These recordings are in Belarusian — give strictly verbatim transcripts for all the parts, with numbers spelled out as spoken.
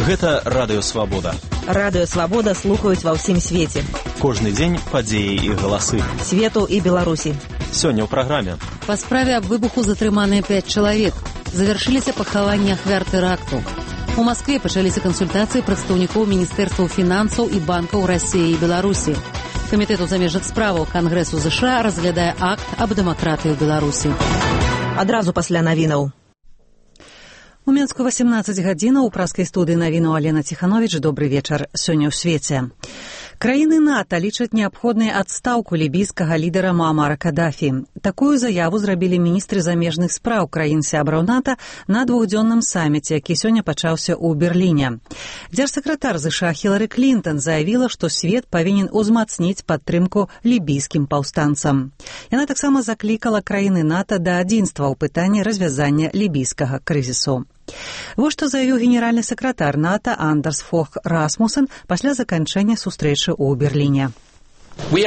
Гэта Радыё Свабода. Радыё Свабода слухаюць ва ўсім свеце. Кожны дзень падзеі і галасы. Свету і Беларусі. Сёння ў праграме. Па справе аб выбуху затрыманыя пяць чалавек. Завяршыліся пахаванні ахвяр тэракту. У Маскве пачаліся кансультацыі прадстаўнікоў міністэрстваў фінансаў і банкаў Расіі і Беларусі. Камітэт у замежных справаў Кангрэсу ЗША разглядае акт аб дэмакратыі ў Беларусі. Адразу пасля навінаў. У Менску васемнаццаць гадзінаў у праскай студыі навіну Алена Ціхановіч. Добры вечар. Сёння ў свеце. Краіны НАТО лічаць неабходнай адстаўку лібійскага лідара Муамара Кадафі. Такую заяву зрабілі міністры замежных спраў краін-сябраў НАТО на двухдзённым саміце, які сёння пачаўся ў Берліне. Дзяржсакратар ЗША Хілары Клінтон заявіла, што свет павінен узмацніць падтрымку лібійскім паўстанцам. Яна таксама заклікала краіны НАТО да адзінства ў пытанні развязання лібійскага крызісу. Вось што заявіў генеральны сакратар НАТО Андерс Фог Расмусен пасля заканчэння сустрэчы ў Берліне. Мы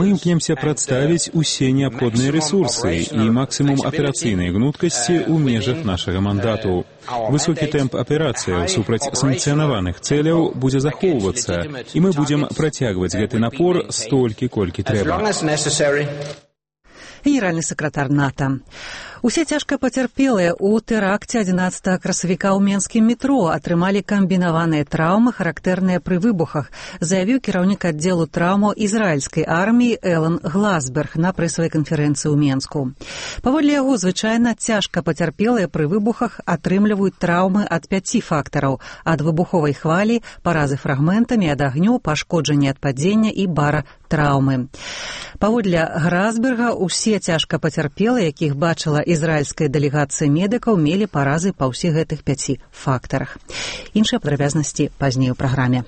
імкнемся прадставіць усе неабходныя рэсурсы і максімум аперацыйнай гнуткасці ў межах нашага мандату. Высокі тэмп аперацыяў супраць санкцыянаваных цэляў будзе захоўвацца, і мы будзем працягваць гэты напор столькі, колькі трэба. Генеральны сакратар НАТО. Усе цяжка пацярпелыя ў тэракце адзінаццатага красавіка ў менскім метро атрымалі камбінаваныя траўмы, характэрныя пры выбухах, заявіў кіраўнік аддзелу траўмаў ізраільскай арміі Элан Гласберг на прэсавай канферэнцыі ў Менску. Паводле яго, звычайна цяжка пацярпелыя пры выбухах атрымліваюць траўмы ад пяці фактараў: ад выбуховай хвалі, паразы фрагментамі, ад агню, пашкоджанні ад падзення і бара траўмы. Паводле Гласберга, усе цяжка пацярпелыя, якіх бачыла ізраільская дэлегацыя медыкаў, мелі паразы па ўсіх гэтых пяці фактарах. Іншыя падрабязнасці пазней у праграме.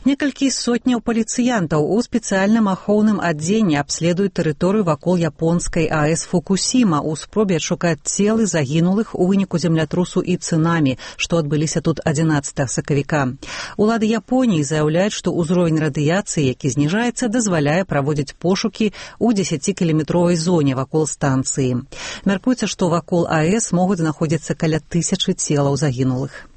Некалькі сотняў паліцыянтаў у спецыяльным ахоўным адзенні абследуюць тэрыторыю вакол японскай АЭС Фукусіма ў спробе адшукаць целы загінулых у выніку землятрусу і цунамі, што адбыліся тут адзінаццатага сакавіка. Улады Японіі заяўляюць, што ўзровень радыяцыі, які зніжаецца, дазваляе праводзіць пошукі ў дзесяцікіламетровай зоне вакол станцыі. Мяркуецца, што вакол АЭС могуць знаходзіцца каля тысячы целаў загінулых.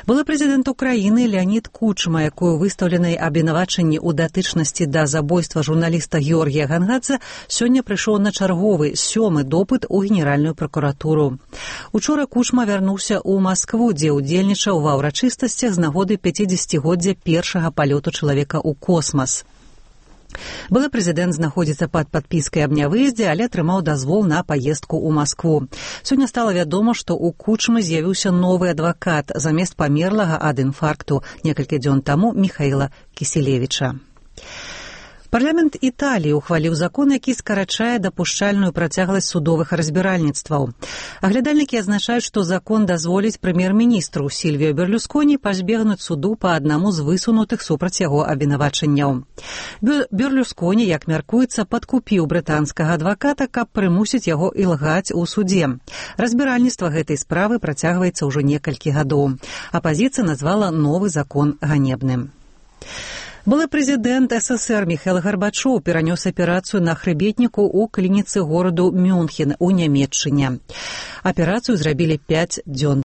Былы прэзідэнт Украіны Леанід Кучма, якую выстаўленай абвінавачанні ў датычнасці да забойства журналіста Георгія Гангадзе, сёння прыйшоў на чарговы сёмы допыт у генеральную пракуратуру. Учора Кучма вярнуўся ў Маскву, дзе ўдзельнічаў ва ўрачыстасцях з нагоды пяцідзесяцігоддзя першага палёту чалавека ў космас. Былы прэзідэнт знаходзіцца пад падпіскай аб нявыездзе, але атрымаў дазвол на паездку ў Маскву. Сёння стала вядома, што ў Кучмы з'явіўся новы адвакат замест памерлага ад інфаркту некалькі дзён таму Міхаіла Кіселевіча. Парламент Італіі ухваліў закон, які скарачае дапушчальную працягласць судовых разбіральніцтваў. Аглядальнікі адзначаюць, што закон дазволіць прэм'ер-міністру Сільвіо Берлюсконі пазбегнуць суду па аднаму з высунутых супраць яго абвінавачанняў. Берлюсконі, як мяркуецца, падкупіў брытанскага адваката, каб прымусіць яго ілгаць у судзе. Разбіральніцтва гэтай справы працягваецца ўжо некалькі гадоў. Апазіцыя назвала новы закон ганебным. Былы прэзідэнт СССР Міхаіл Гарбачоў перанёс аперацыю на хрыбетніку ў клініцы гораду Мюнхен у Нямецчыне. Аперацыю зрабілі пяць дзён